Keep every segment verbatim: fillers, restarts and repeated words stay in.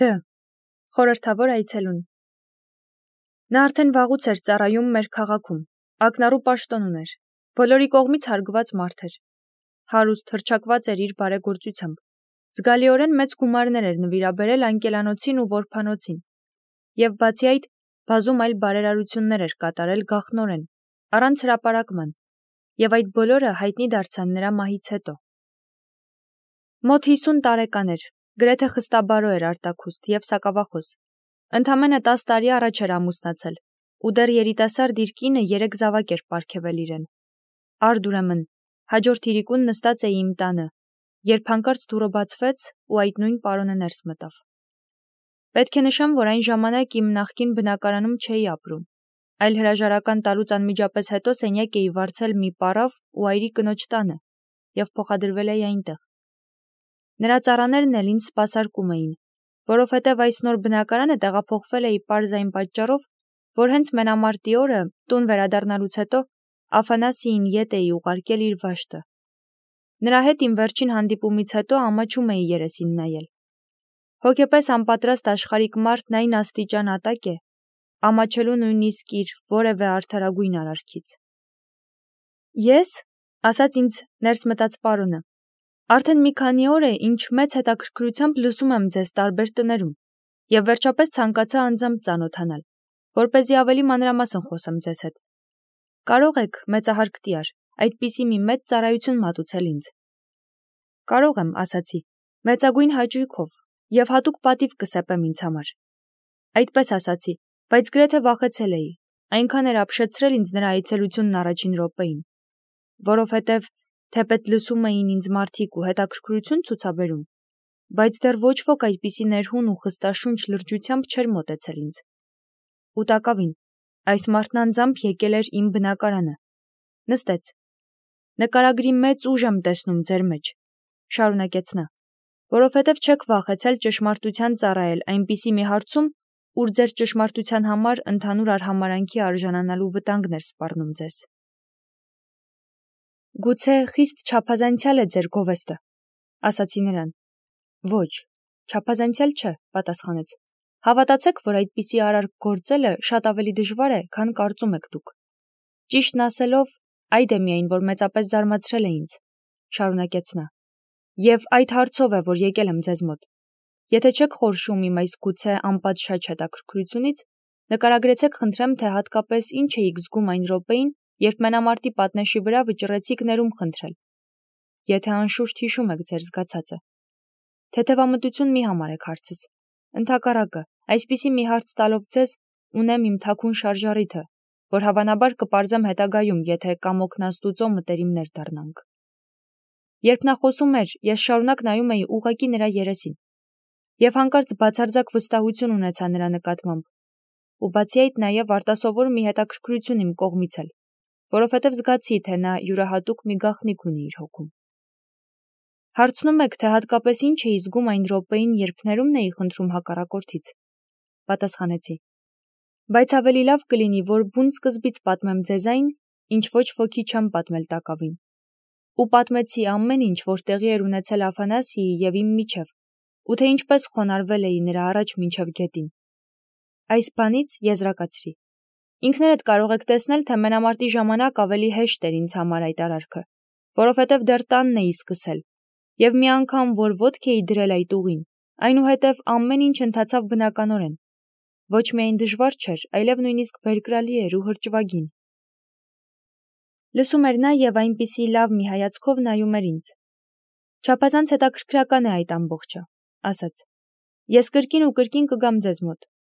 Դ. Խորհրդավոր այցելուն։ Նա արդեն վաղուց էր ծառայում մեր քաղաքում, ակնառու պաշտոն ուներ, բոլորի կողմից հարգված մարդ էր, հարուստ հռչակված էր իր բարեգործությամբ, զգալիորեն մեծ գումարներ էր նվիրաբերել անկելանոցին ու որբանոցին, և բացի այդ, բազում այլ բարերարություններ էր կատարել գաղտնորեն, առանց հրապարակման, և այդ բոլորը հայտնի դարձան նրա մահից հետո։ Մոտ հիսուն տարեկան էր, գրեթե խստաբարո էր արտաքուստ և սակավախոս, ընդամենը տաս տարի առաջ էր ամուսնացել, ու դեռ երիտասարդ իր կինը երեք զավակ էր պարգևել իրեն։ Արդ ուրեմն, հաջորդ իրիկուն նստած էի իմ տանը, երբ հանկարծ դուռը բացվեց ու այդ նույն պարոնը ներս մտավ։ Պետք է նշեմ, որ այն ժամանակ իմ նախկին բնակարանում չէի ապրում, այլ հրաժարական տալուց անմիջապես հետո սենյակ էի վարձել մի պառավ ու այրի կնոջ տանը և փոխադրվել էի այնտեղ։ Նրա ծառաներն էլ ինձ սպասարկում էին, որովհետև այս նոր բնակարանը տեղափոխվել էի պարզ այն պատճառով, որ հենց մենամարտի օրը, տուն վերադառնալուց հետո, Աֆանասիին ետ էի ուղարկել իր վաշտը։ Նրա հետ իմ վերջին հանդիպումից հետո ամաչում էի երեսին նայել։ Հոգեպես անպատրաստ աշխարհիկ մարդն այն աստիճան ատակ է, ամաչելու նույնիսկ իր որևէ արդարագույն արարքից։ Ես, ասաց ինձ ներս մտած պարոնը, արդեն մի քանի օր է, ինչ մեծ հետաքրքրությամբ լսում եմ ձեզ տարբեր տներում, և վերջապես ցանկացա անձամբ ծանոթանալ, որպեսզի ավելի մանրամասն խոսեմ ձեզ հետ։ Կարող եք, մեծահարկ տյար, այդպիսի մի մեծ ծառայություն մատուցել ինձ։ Կարող եմ, ասացի, մեծագույն հաճույքով, և հատուկ պատիվ կսեպեմ ինձ համար։ Այդպես ասացի, բայց գրեթե վախեցել էի, այնքան էր ապշեցրել ինձ նրա այցելությունն առաջին րոպեին, որովհետև թեպետ լսում էին ինձ մարդիկ ու հետաքրքրություն ցուցաբերում, բայց դեռ ոչ ոք այդպիսի ներհուն ու խստաշունչ լրջությամբ չէր մոտեցել ինձ։ Ու տակավին, այս մարդն անձամբ եկել էր իմ բնակարանը, նստեց։ Նկարագրի մեծ ուժ եմ տեսնում ձեր մեջ, շարունակեց նա, որովհետև չեք վախեցել ճշմարտության ծառայել այնպիսի մի հարցում, ուր ձեր ճշմարտության համար ընդհանուր արհամարհանքի արժանանալու վտանգն էր սպառնում ձեզ։ Գուցե խիստ չափազանցյալ է ձեր գովեստը, ասացի նրան։ Ոչ, չափազանցյալ չէ, պատասխանեց։ Հավատացեք, որ այդպիսի արարք գործելը շատ ավելի դժվար է, քան կարծում եք դուք։ Ճիշտն ասելով, այդ է միայն, որ մեծապես զարմացրել է ինձ, շարունակեց նա։ Եվ այդ հարցով է, որ եկել եմ ձեզ մոտ։ Եթե չեք խորշում իմ այս գուցե անպատշաճ հետաքրքրությունից, նկարագրեցեք խնդրեմ, թե հատկապես ինչ էիք զգում այն րոպեին, երբ մենամարտի պատնեշի վրա վճռեցիք ներում խնդրել։ Եթե անշուշտ հիշում եք ձեր զգացածը։ Թեթևամտություն մի համարեք հարցս։ Ընդհակառակը, այսպիսի մի հարց տալով ձեզ, ունեմ իմ թաքուն շարժառիթը, որ հավանաբար կպարզեմ հետագայում, եթե կամոքնաստուծո մտերիմներ դառնանք։ Երբ նա խոսում էր, ես շարունակ նայում էի ուղղակի նրա երեսին, և հանկարծ բացարձակ վստահություն ունեցա նրա նկատմամբ, ու բացի այդ նաև արտասովոր մի հետաքրքրություն իմ կողմից էլ, որովհետև զգացի, թե նա յուրահատուկ մի գաղտնիք ունի իր հոգում։ Հարցնում եք, թե հատկապես ինչ էի զգում այն րոպեին, երբ ներումն էի խնդրում հակառակորդից, պատասխանեցի։ Բայց ավելի լավ կլինի, որ բուն սկզբից պատմեմ ձեզ այն, ինչ ոչ ոքի չեմ պատմել տակավին։ Ու պատմեցի ամեն ինչ, որ տեղի էր ունեցել Աֆանասիի և իմ միջև, ու թե ինչպես խոնարհվել էի նրա առաջ մինչև գետին։ Այս բանից եզրակացրի։ Ինքներդ կարող եք տեսնել, թե մենամարտի ժամանակ ավելի հեշտ էր ինձ համար այդ արարքը, որովհետև դեռ տանն էի սկսել, և մի անգամ, որ ոտք էի դրել այդ ուղին, այնուհետև ամեն ինչ ընթացավ բնականորեն։ Ոչ միայն դժվար չէր, այլև նույնիսկ բերկրալի էր ու հրճվագին։ Լսում էր նա և այնպիսի լավ մի հայացքով նայում էր ինձ։ Չափազանց հետաքրքրական է այդ ամբողջը, ասաց։ Ես կրկին ու կրկին կգամ ձեզ մոտ։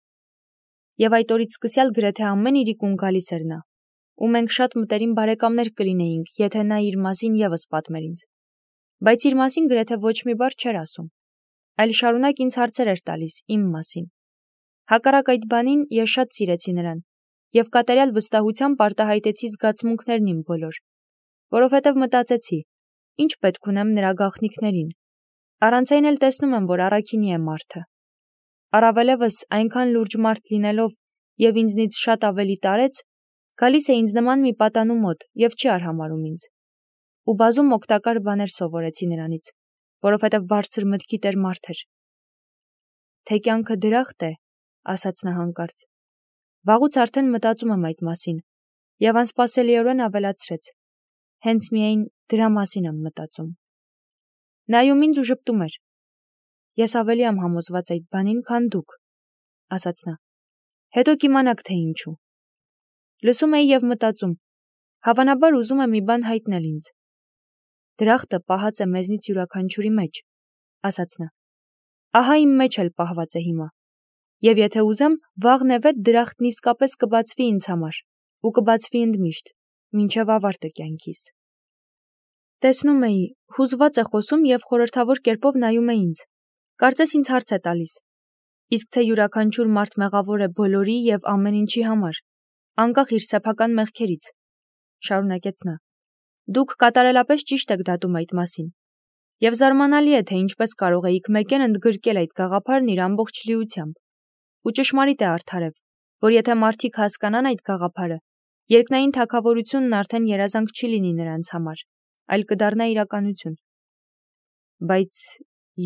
Եվ այդ օրից սկսյալ գրեթե ամեն իրիկուն գալիս էր նա, ու մենք շատ մտերիմ բարեկամներ կլինեինք, եթե նա իր մասին ևս պատմեր ինձ։ Բայց իր մասին գրեթե ոչ մի բառ չէր ասում, այլ շարունակ ինձ հարցեր էր տալիս իմ մասին։ Հակառակ այդ բանին ես շատ սիրեցի նրան, և կատարյալ վստահությամբ արտահայտեցի զգացմունքներն իմ բոլոր, որովհետև մտածեցի, ինչ պետք ունեմ նրա գաղտնիքներին։ Առանց այն էլ տեսնում եմ, որ առաքինի է մարդը։ Առավելևս այնքան լուրջ մարդ լինելով և ինձնից շատ ավելի տարեց, գալիս է ինձ նման մի պատանու մոտ և չի արհամարհում ինձ։ Ու բազում օգտակար բաներ սովորեցի նրանից, որովհետև բարձր մտքի տեր մարդ էր։ թե կյանքը դրախտ է, ասաց նա հանկարծ։ Վաղուց արդեն մտածում եմ այդ մասին, եւ անսպասելիորեն ավելացրեց. հենց միայն դրա մասին եմ մտածում։ Նայում ինձ ու ժպտում էր։ Ես ավելի եմ համոզված այդ բանին, քան դուք, ասաց նա։ Հետո կիմանաք, թե ինչու։ Լսում էի եւ մտածում, հավանաբար ուզում է մի բան հայտնել ինձ։ Դրախտը պահած է մեզնից յուրաքանչյուրի մեջ, ասաց նա։ Ահա իմ մեջ էլ պահված է հիմա։ Եվ եթե ուզեմ, վաղն է վետ դրախտն իսկապես կբացվի ինձ համար, ու կբացվի ընդմիշտ, մինչև ավարտը կյանքիս։ Տեսնում էի, հուզված է խոսում եւ խորհրդավոր կերպով նայում է ինձ։ Կարծես ինձ հարց է տալիս. իսկ թե յուրաքանչյուր մարդ մեղավոր է բոլորի եւ ամեն ինչի համար, անկախ իր սեփական մեղքերից, շարունակեց նա։ Դուք կատարելապես ճիշտ եք դատում այդ մասին։ Եվ զարմանալի է, թե ինչպես կարող էիք մեկեն ընդգրկել այդ գաղափարն իր ամբողջ լիությամբ։ Ու ճշմարիտ է արդարև, որ եթե մարդիկ հասկանան այդ գաղափարը, երկնային թագավորությունն արդեն երազանք չի լինի նրանց համար, այլ կդառնա իրականություն։ Բայց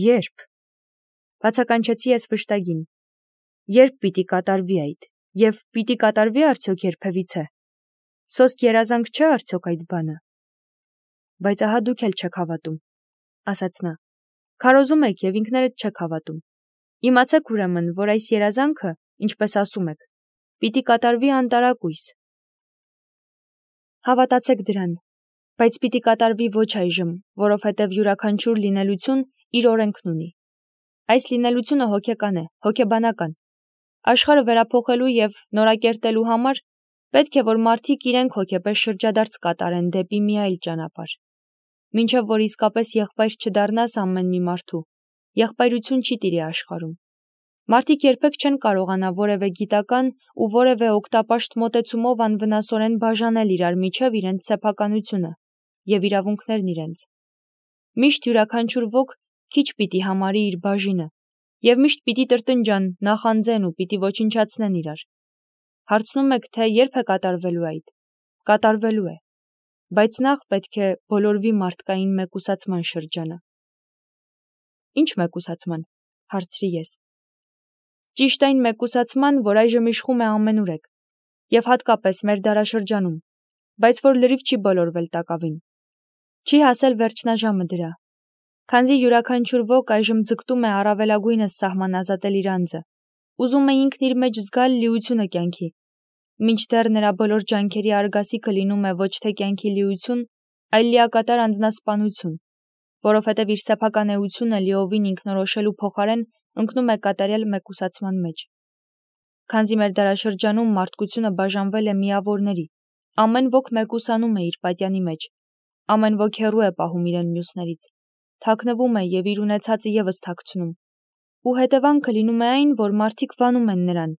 երբ, բացականչեցի ես վշտագին, երբ պիտի կատարվի այդ, եւ պիտի կատարվի արդյոք երբևիցե։ Սոսկ երազանք չէ արդյոք այդ բանը։ Բայց ահա դուք էլ չեք հավատում, ասաց նա։ Քարոզում եք եւ ինքներդ չեք հավատում։ Իմացեք ուրեմն, որ այս երազանքը, ինչպես ասում եք, պիտի կատարվի անտարակույս։ Հավատացեք դրան, բայց պիտի կատարվի ոչ այժմ, որովհետև յուրաքանչյուր լինելություն իր օրենքն ունի։ Այս լինելությունը հոգեկան է, հոգեբանական։ Աշխարհը վերափոխելու եւ նորակերտելու համար պետք է, որ մարդիկ իրենք հոգեպես շրջադարձ կատարեն դեպի մի այլ ճանապարհ։ Մինչև որ իսկապես եղբայր չդառնաս ամեն մի մարդու, եղբայրություն չի տիրի աշխարհում։ Մարդիկ երբեք չեն կարողանա որևէ գիտական ու որևէ օգտապաշտ մոտեցումով անվնասորեն բաժանել իրար միջև իրենց սեփականությունը եւ իրավունքներն իրենց։ Միշտ յուրաքանչյուր ոք քիչ պիտի համարի իր բաժինը եւ միշտ պիտի տրտնջան, նախանձեն ու պիտի ոչնչացնեն իրար։ Հարցնում եք, թե երբ է կատարվելու այդ։ Կատարվելու է։ Բայց նախ պետք է բոլորվի մարդկային մեկուսացման շրջանը։ Ինչ մեկուսացման, հարցրի ես։ Ճիշտ այն մեկուսացման, որ այժմ իշխում է ամենուրեք, եւ հատկապես մեր դարաշրջանում, բայց որ լրիվ չի բոլորվել տակավին։ Չի հասել վերջնաժամը դրա։ Քանզի յուրաքանչյուր ոք այժմ ձգտում է առավելագույնս սահմանազատել իր անձը, ուզում է ինքն իր մեջ զգալ լիությունը կյանքի, մինչդեռ նրա բոլոր ջանքերի արգասիքը լինում է ոչ թե կյանքի լիություն, այլ լիակատար անձնասպանություն, որովհետև իր սեփական էությունը լիովին ինքնորոշելու փոխարեն ընկնում է կատարյալ մեկուսացման մեջ։ Քանզի մեր դարաշրջանում մարդկությունը բաժանվել է միավորների, ամեն ոք մեկուսանում է իր պատյանի մեջ, ամեն ոք հեռու է պահում իրեն մյուսներից, թաքնվում է եւ իր ունեցածը եւս թաքցնում։ Ու հետևանքը լինում է այն, որ մարդիկ վանում են նրան,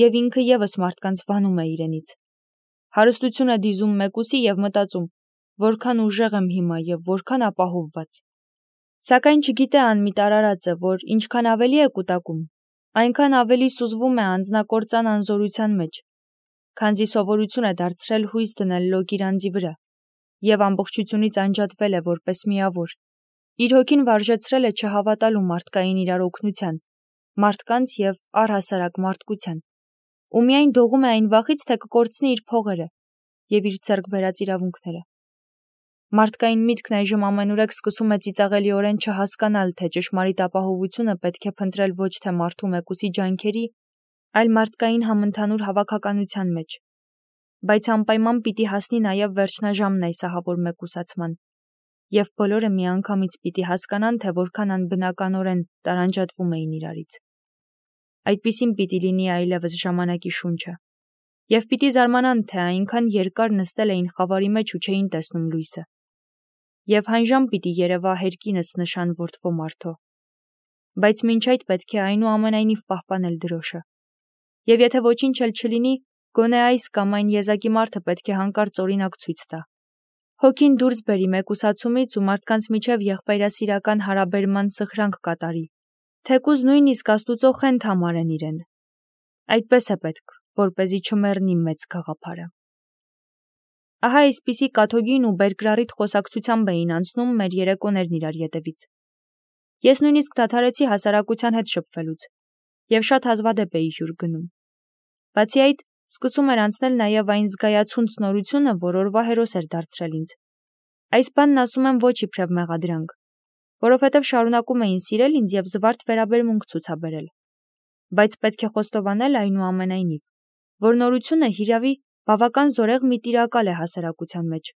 եւ ինքը եւս մարդկանց վանում է իրենից։ Հարստություն է դիզում մեկուսի եւ մտածում, որքան ուժեղ եմ հիմա եւ որքան ապահովված։ Սակայն չգիտե անմիտ արարածը, որ ինչքան ավելի է կուտակում, այնքան ավելի սուզվում է անձնակործան անզորության մեջ, քանզի սովորություն է դարձրել հույս դնել լոկ իր անձի վրա եւ ամբողջությունից անջատվել է որպես միավոր։ Իր հոգին վարժեցրել է չհավատալու մարդկային իրար օգնության, մարդկանց եւ առհասարակ մարդկության, ու միայն դողում է այն վախից, թե կկորցնի իր փողերը եւ իր ձեռք բերած իրավունքները։ Մարդկային միտքն այժմ ամենուրեք սկսում է ծիծաղելիորեն չհասկանալ, թե ճշմարիտ ապահովությունը պետք է փնտրել ոչ թե մարդու մեկուսի ջանքերի, այլ մարդկային համընդհանուր հավաքականության մեջ։ Բայց անպայման պիտի հասնի նաեւ վերջնաժամն այս ահավոր մեկուսացման, եւ բոլորը միանգամից պիտի հասկանան, թե որքան անբնականորեն տարանջատվում էին իրարից։ Այդպիսին պիտի լինի այլևս ժամանակի շունչը, եւ պիտի զարմանան, թե այնքան երկար նստել էին խավարի մեջ ու չէին տեսնում լույսը, եւ հանժամ պիտի երևա հերկինս նշան որդվո մարդո։ Բայց մինչ այդ պետք է այնուամենայնիվ պահպանել դրոշը։ Եվ եթե ոչինչ էլ չլինի, գոնե այս կամ այն եզակի մարդը պետք է հանկարծ օրինակ ցույց տա։ Հոգին դուրս բերի մեկուսացումից ու մարդկանց միջև եղբայրասիրական հարաբերման սխրանք կատարի, թեկուզ նույնիսկ Աստուծո խենթ համարեն իրեն։ Այդպես է պետք, որպեսզի չմեռնի մեծ գաղափարը։ Ահա այսպիսի կաթոգին ու բերկրառիթ խոսակցությամբ էին անցնում մեր երեկոներն իրար ետևից։ Ես նույնիսկ դադարեցի հասարակության հետ շփվելուց, և շատ հազվադեպ էի հյուր գնում։ Բացի այդ, սկսում էր անցնել նաև այն զգայացունց նորությունը, որ օրվա հերոս էր դարձրել ինձ։ Այս բանն ասում եմ ոչ իբրև մեղադրանք, որովհետև շարունակում էին սիրել ինձ և զվարթ վերաբերմունք ցուցաբերել։ Բայց պետք է խոստովանել այնուամենայնիվ, որ նորությունը հիրավի բավական զորեղ մի տիրակալ է հասարակության մեջ։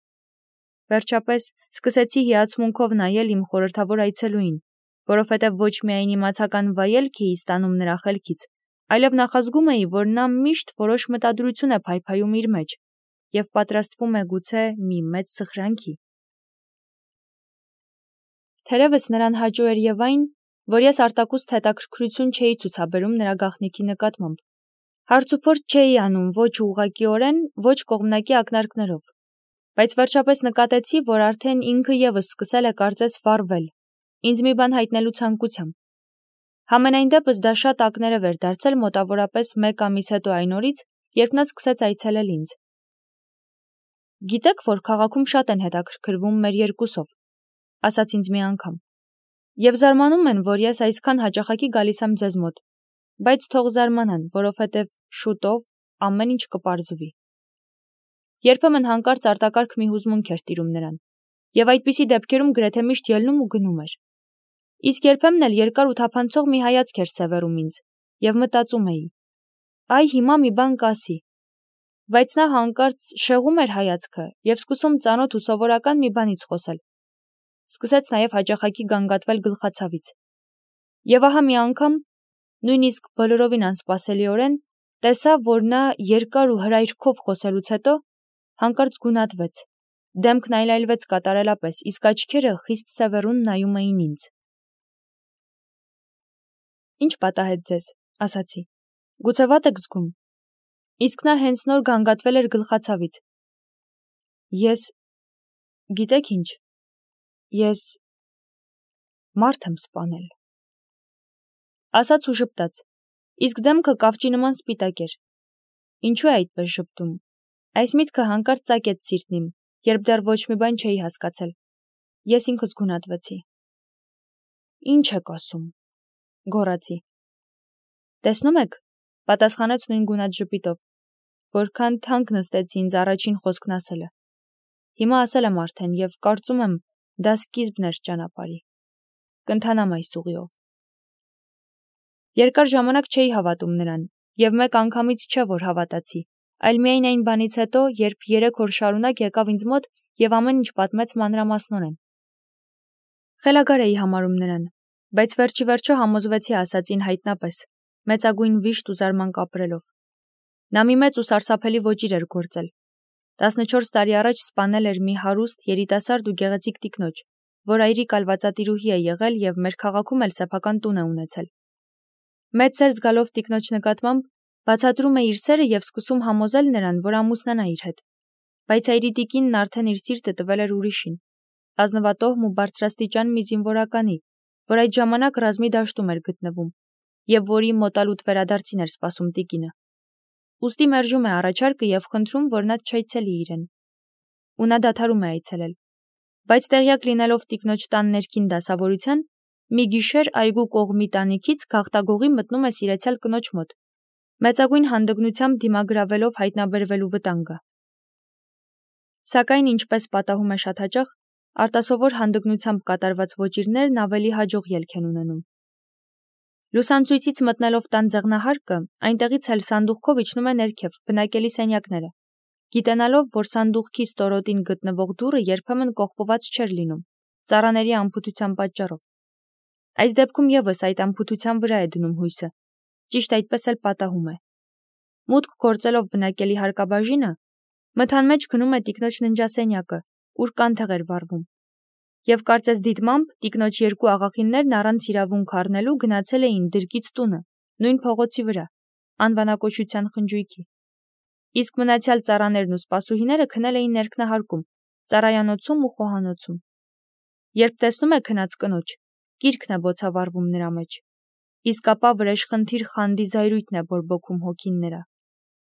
Վերջապես սկսեցի հիացմունքով նայել իմ խորհրդավոր այցելուին, որովհետև ոչ միայն իմացական վայելք էի ստանում նրա խելքից, այլև նախազգում էի, որ նա միշտ որոշ մտադրություն է փայփայում իր մեջ և պատրաստվում է գուցե մի մեծ սխրանքի։ Թերևս նրան հաճո էր և այն, որ ես արտակուստ հետաքրքրություն չէի ցուցաբերում նրա գաղտնիքի նկատմամբ։ Հարցուփորձ չէի անում ոչ ուղղակիորեն, ոչ կողմնակի ակնարկներով, բայց վերջապես նկատեցի, որ արդեն ինքը ևս սկսել է կարծես վառվել, ինձ մի բան հայտնելու ցանկությամբ։ Համենայն դեպս դա շատ ակներև էր դարձել մոտավորապես մեկ ամիս հետո այն օրից, երբ նա սկսեց այցելել ինձ։ Գիտեք, որ քաղաքում շատ են հետաքրքրվում մեր երկուսով, ասաց ինձ մի անգամ, և զարմանում են, որ ես այսքան հաճախակի գալիս եմ ձեզ մոտ, բայց թող զարմանան, որովհետև շուտով ամեն ինչ կպարզվի։ Երբեմն հանկարծ արտակարգ մի հուզմունք էր տիրում նրան, և այդպիսի դեպքերում գրեթե միշտ ելնում ու գնում էր։ Իսկ երբեմն էլ երկար ու թափանցող մի հայացք էր սևեռում ինձ, և մտածում էի. այ հիմա մի բան կասի, բայց նա հանկարծ շեղում էր հայացքը և սկսում ծանոթ ու սովորական մի բանից խոսել։ Սկսեց նաև հաճախակի գանգատվել գլխացավից։ Եվ ահա մի անգամ, նույնիսկ բոլորովին անսպասելիորեն, տեսա, որ նա երկար ու հրայրքով խոսելուց հետո հանկարծ գունատվեց, դեմքն այլայլվեց կատարելապես, իսկ աչքերը խիստ սևեռուն նայում էին ինձ։ Ինչ պատահեց ձեզ, ասացի, գուցե վատ եք զգում։ Իսկ նա հենց նոր գանգատվել էր գլխացավից։ Ես, գիտեք ինչ, ես մարդ եմ սպանել, ասաց ու ժպտաց, իսկ դեմքը կավճի նման սպիտակ էր։ Ինչու է այդպես ժպտում։ Այս միտքը հանկարծ ծակեց սիրտն իմ, երբ դեռ ոչ մի բան չէի հասկացել։ Ես ինքս գունատվեցի։ Ինչ եք ասում, գոռացի։ Տեսնում եք, պատասխանեց նույն գունատ ժպիտով, որքան թանկ նստեցի ինձ առաջին խոսքն ասելը։ Հիմա ասել եմ արդեն և կարծում եմ, դա սկիզբն էր ճանապարհի։ Կընթանամ այս ուղիով։ Երկար ժամանակ չէի հավատում նրան, և մեկ անգամից չէ, որ հավատացի, այլ միայն այն բանից հետո, երբ երեք օր շարունակ եկավ ինձ մոտ և ամեն ինչ պատմեց մանրամասնորեն։ Խելագար էի համարում նրան, բայց վերջի վերջո համոզվեցի ասածին հայտնապես, մեծագույն վիշտ ու զարմանք ապրելով։ Նա մի մեծ ու սարսափելի ոճիր էր գործել։ տասնչորս տարի առաջ սպանել էր մի հարուստ, երիտասարդ ու գեղեցիկ տիկնոջ, որ այրի կալվածատիրուհի է եղել և մեր քաղաքում էլ սեփական տուն է ունեցել։ Մեծ սեր զգալով տիկնոջ նկատմամբ, բացատրում է իր սերը և սկսում համոզել նրան, որ ամուսնանա իր հետ։ Բայց այրի տիկինն արդեն իր սիրտը տվել էր ուրիշին, ազնվատոհմ ու բարձրաստիճան մի զինվորականի, որ այդ ժամանակ ռազմի դաշտում էր գտնվում, և որի մոտալուտ վերադարձին էր սպասում տիկինը։ Ուստի մերժում է առաջարկը և խնդրում, որ նա չայցելի իրեն։ Ու նա դադարում է այցելել։ Բայց տեղյակ լինելով տիկնոջ տան ներքին դասավորության, մի գիշեր այգու կողմի տանիքից գաղտագողի մտնում է սիրեցյալ կնոջ մոտ, մեծագույն հանդգնությամբ դիմագրավելով հայտնաբերվելու վտանգը։ Սակայն, ինչպես պատահում է շատ հաճախ, արտասովոր հանդգնությամբ կատարված ոճիրներն ավելի հաջող ելք են ունենում։ Լուսանցույցից մտնելով տան ձեղնահարկը, այնտեղից էլ սանդուղքով իջնում է ներքև, բնակելի սենյակները, գիտենալով, որ սանդուղքի ստորոտին գտնվող դուռը երբեմն կողպված չէր լինում, ծառաների անփութության պատճառով։ Այս դեպքում ևս այդ անփութության վրա է դնում հույսը, ճիշտ այդպես էլ պատահում է։ Մուտք գործելով բնակելի հարկաբաժինը, մթան մեջ գնում է տիկնոջ ննջասենյակը, ուր կանթեղ էր վառվում։ Եվ կարծես դիտմամբ տիկնոջ երկու աղախիններն առանց իրավունք առնելու գնացել էին դրկից տունը, նույն փողոցի վրա, անվանակոչության խնջույքի։ Իսկ մնացյալ ծառաներն ու սպասուհիները քնել էին ներքնահարկում, ծառայանոցում ու խոհանոցում։ Երբ տեսնում է քնած կնոջ, կիրքն է բոցավառվում նրա մեջ, իսկ ապա վրեժխնդիր խանդի զայրույթն է բորբոքում հոգին նրա,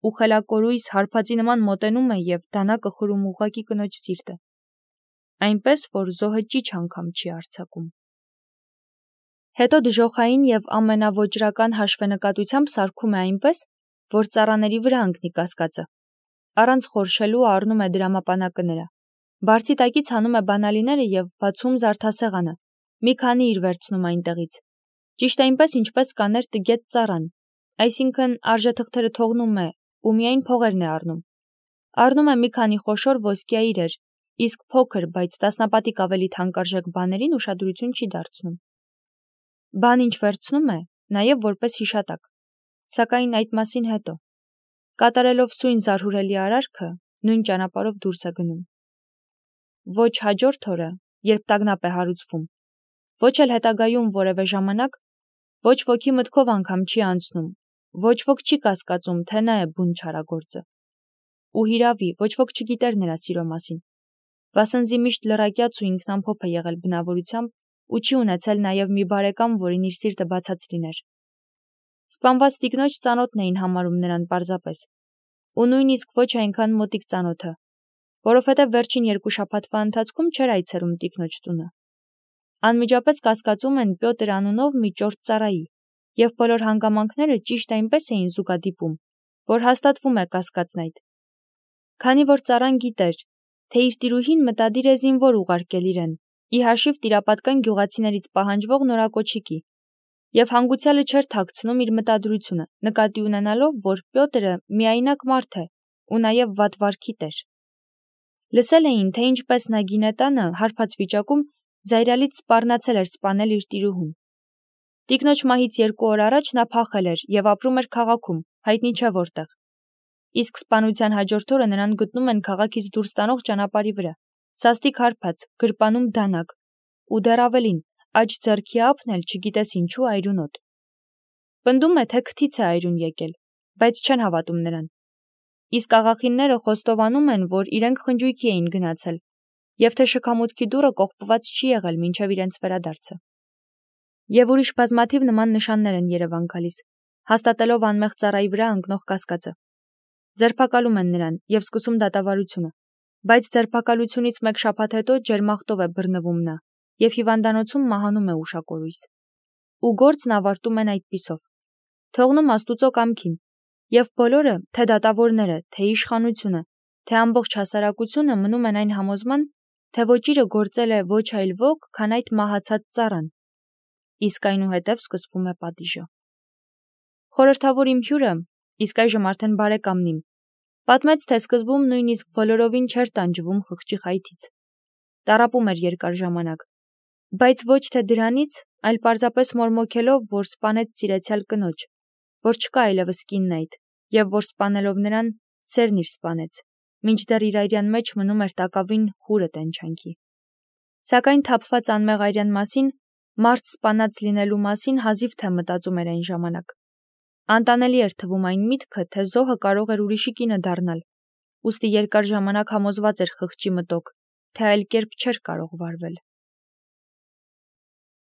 ու խելակորույս հարբածի նման մոտենում է և դանակը խրում ուղղակի կնոջ սիրտը, այնպես, որ զոհը ճիչ անգամ չի արձակում։ Հետո դժոխային եւ ամենավոճրական հաշվենկատությամբ սարքում է այնպես, որ ծառաների վրա ընկնի կասկածը։ Առանց խորշելու առնում է դրամապանակը նրա։ Բարձի տակից հանում է բանալիները եւ բացում զարդասեղանը։ Մի քանի իր վերցնում այնտեղից։ Ճիշտ այնպես, ինչպես կաներ տգետ ծառան, այսինքն արժեթղթերը թողնում է ու միայն փողերն է առնում։ Առնում է մի քանի խոշոր ոսկյա իրեր, իսկ փոքր, բայց տասնապատիկ ավելի թանկարժեք բաներին ուշադրություն չի դարձնում։ Բան ինչ վերցնում է, նաև որպես հիշատակ, սակայն այդ մասին հետո։ Կատարելով սույն զարհուրելի արարքը, նույն ճանապարհով դուրս է գնում։ Ոչ հաջորդ օրը, երբ տագնապ է հարուցվում, ոչ էլ հետագայում որևէ ժամանակ, ոչ ոքի մտքով անգամ չի անցնում, ոչ ոք չի կասկածում, թե նա է բուն չարագործը։ Ու հիրավի, ոչ ոք չգիտեր նրա սիրո մասին։ Վասնզի միշտ լրակյաց ու ինքնամփոփ է եղել բնավորությամբ ու չի ունեցել նաև մի բարեկամ, որին իր սիրտը բացած լիներ։ Սպանված տիկնոջ ծանոթն էին համարում նրան պարզապես, ու նույնիսկ ոչ այնքան մոտիկ ծանոթը, որովհետև վերջին երկու շաբաթվա ընթացքում չէր այցելում տիկնոջ տունը։ Անմիջապես կասկածում են Պյոտր անունով մի ճորտ ծառայի, եւ բոլոր հանգամանքները ճիշտ այնպես էին զուգադիպում, որ հաստատվում է կասկածն այդ։ Քանի որ ծառան գիտեր, թե իր տիրուհին մտադիր է զինվոր ուղարկել իրեն, ի հաշիվ տիրապատկան գյուղացիներից պահանջվող նորակոչիկի, եւ հանգուցյալը չէր թաքցնում իր մտադրությունը, նկատի ունենալով, որ Պյոտրը միայնակ մարդ է ու նաեւ վատ վարքի տեր։ Լսել էին, թե ինչպես նա գինետանը հարբած վիճակում զայրալից սպառնացել էր սպանել իր տիրուհուն։ Տիկնոջ մահից երկու օր առաջ նա փախել էր եւ ապրում էր քաղաքում, հայտնի չէ որտեղ։ Իսկ սպանության հաջորդ օրը նրան գտնում են քաղաքից դուրս տանող ճանապարհի վրա, սաստիկ հարբած, գրպանում դանակ, ու դեռ ավելին, աջ ձեռքի ափն էլ չգիտես ինչու այրունոտ։ Պնդում է, թե քթից է այրուն եկել, բայց չեն հավատում նրան։ Իսկ աղախինները խոստովանում են, որ իրենք խնջույքի էին գնացել, եւ թե շքամուտքի դուռը կողպված չի եղել մինչև իրենց վերադարձը։ Եվ ուրիշ բազմաթիվ նման նշաններ են Երևան գալիս, հաստատելով անմեղ ծառայի վրա ընկնող կասկածը։ Ձերբակալում են նրան եւ սկսում դատավարությունը, բայց ձերբակալությունից մեկ շաբաթ հետո ջերմախտով է բռնվում նա եւ հիվանդանոցում մահանում է ուշակորույս։ Ու գործն ավարտում են այդպիսով, թողնում Աստուծո կամքին, եւ բոլորը, թե դատավորները, թե իշխանությունը, թե ամբողջ հասարակությունը մնում են այն համոզման, թե ոճիրը գործել է ոչ այլ ոք, քան այդ մահացած ծառան։ Իսկ այնուհետև սկսվում է պատիժը։ Խորհրդավոր իմ հյուրը, իսկ այժմ արդեն բարեկամն իմ, պատմեց, թե սկզբում նույնիսկ բոլորովին չէր տանջվում խղճի խայթից։ Տառապում էր երկար ժամանակ, բայց ոչ թե դրանից, այլ պարզապես մորմոքելով, որ սպանեց սիրեցյալ կնոջ, որ չկա այլևս կինն այդ, եւ որ սպանելով նրան, սերն իր սպանեց, մինչդեռ իր այրյան մեջ մնում էր տակավին հուրը տենչանքի։ Սակայն թափված անմեղ այրյան մասին, մարդ սպանած լինելու մասին հազիվ թե մտածում էր այն ժամանակ։ Անտանելի էր թվում այն միտքը, թե զոհը կարող էր ուրիշի կինը դառնալ, ուստի երկար ժամանակ համոզված էր խղճի մտոք, թե այլ կերպ չէր կարող վարվել։